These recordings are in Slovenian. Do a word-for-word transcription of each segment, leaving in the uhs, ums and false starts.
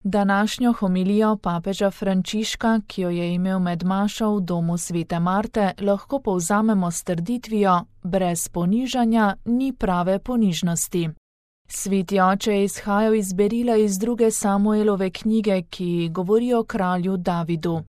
Današnjo homilijo papeža Frančiška, ki jo je imel med mašo v domu svete Marte, lahko povzamemo s trditvijo: brez ponižanja ni prave ponižnosti. Sveti oče je izhajal iz berila iz druge Samuelove knjige, ki govori o kralju Davidu.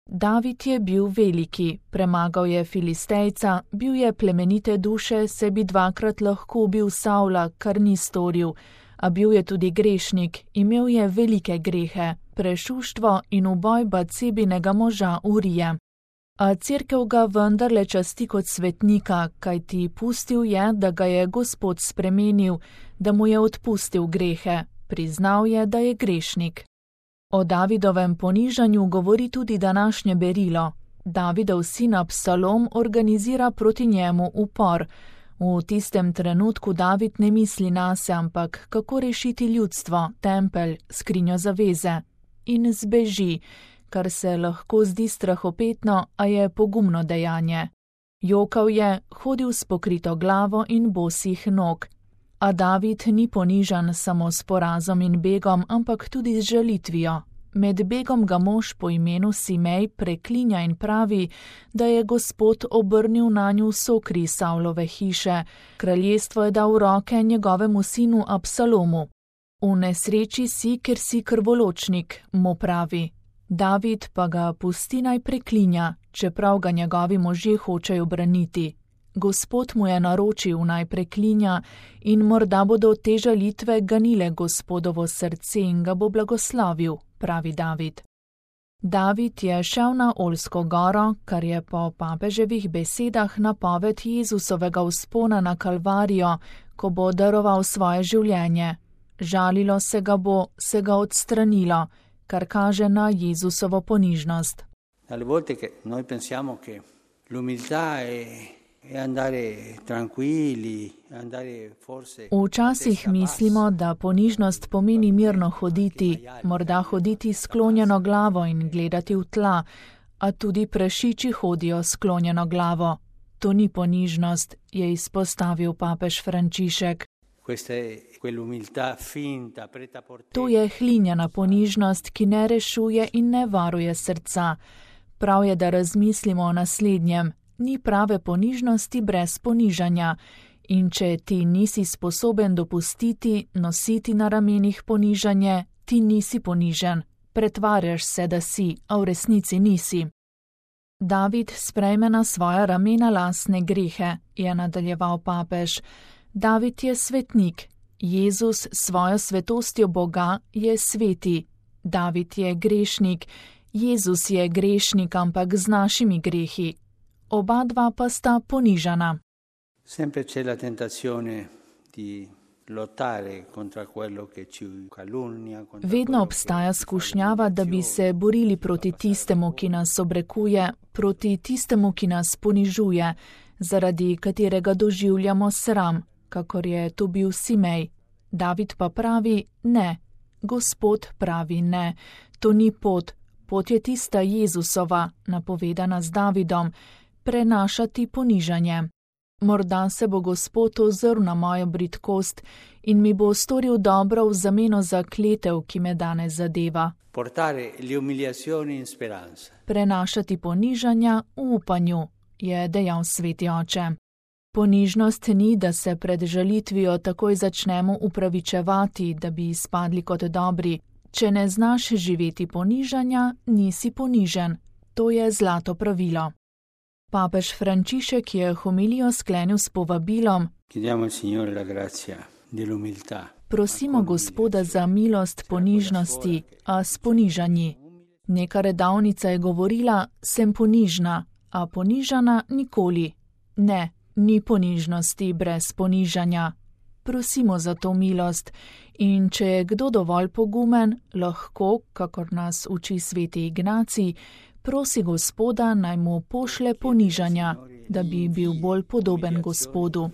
David je bil veliki, premagal je Filistejca, bil je plemenite duše, se bi dvakrat lahko ubil Savla, kar ni storil, a bil je tudi grešnik, imel je velike grehe, prešuštvo in uboj Bacebinega moža Urije. A cerkev ga vendarle časti kot svetnika, kajti pustil je, da ga je Gospod spremenil, da mu je odpustil grehe, priznal je, da je grešnik. O Davidovem ponižanju govori tudi današnje berilo. Davidov sin Absalom organizira proti njemu upor. V tistem trenutku David ne misli nase, ampak kako rešiti ljudstvo, tempelj, skrinjo zaveze. In zbeži, kar se lahko zdi strahopetno, a je pogumno dejanje. Jokal je, hodil s pokrito glavo in bosih nog. A David ni ponižan samo s porazom in begom, ampak tudi z žalitvijo. Med begom ga mož po imenu Simej preklinja in pravi, da je Gospod obrnil nanju sokri Savlove hiše, kraljestvo je dal v roke njegovemu sinu Absalomu. V nesreči si, ker si krvoločnik, mu pravi. David pa ga pusti naj preklinja, čeprav ga njegovi možje hočejo braniti. Gospod mu je naročil naj preklinja in morda bodo te žalitve ganile Gospodovo srce in ga bo blagoslovil, pravi David. David je šel na Oljsko goro, kar je po papeževih besedah napoved Jezusovega vzpona na Kalvarijo, ko bo daroval svoje življenje. Žalilo se ga bo, se ga odstranilo, kar kaže na Jezusovo ponižnost. Alle volte che noi pensiamo che l'umiltà è Včasih mislimo, da ponižnost pomeni mirno hoditi, morda hoditi sklonjeno glavo in gledati v tla, a tudi prašiči hodijo sklonjeno glavo. To ni ponižnost, je izpostavil papež Frančišek. To je hlinjena ponižnost, ki ne rešuje in ne varuje srca. Prav je, da razmislimo o naslednjem. Ni prave ponižnosti brez ponižanja, in če ti nisi sposoben dopustiti, nositi na ramenih ponižanje, ti nisi ponižen, pretvarjaš se, da si, a v resnici nisi. David sprejme na svoja ramena lastne grehe, je nadaljeval papež. David je svetnik, Jezus s svojo svetostjo Boga je sveti. David je grešnik, Jezus je grešnik, ampak z našimi grehi. Oba dva pa sta ponižana. Sempre c'è la tentazione di lottare contro quello che ci calunnia. Vedno obstaja skušnjava, da bi se borili proti tistemu, ki nas obrekuje, proti tistemu, ki nas ponižuje, zaradi katerega doživljamo sram, kakor je to bil Simej. David pa pravi ne. Gospod pravi ne. To ni pot. Pot je tista Jezusova, napovedana z Davidom, prenašati ponižanje. Morda se bo Gospod ozrl na mojo bridkost in mi bo storil dobro v zameno za kletev, ki me danes zadeva. Prenašati ponižanja v upanju, je dejal sveti oče. Ponižnost ni, da se pred žalitvijo takoj začnemo upravičevati, da bi izpadli kot dobri. Če ne znaš živeti ponižanja, nisi ponižen. To je zlato pravilo. Papež Frančišek je homilijo sklenil s povabilom: Prosimo Gospoda za milost ponižnosti, a s ponižanji. Neka redavnica je govorila: sem ponižna, a ponižana nikoli. Ne, ni ponižnosti brez ponižanja. Prosimo za to milost in če je kdo dovolj pogumen, lahko, kakor nas uči sveti Ignacij, prosi Gospoda, naj mu pošlje ponižanja, da bi bil bolj podoben Gospodu.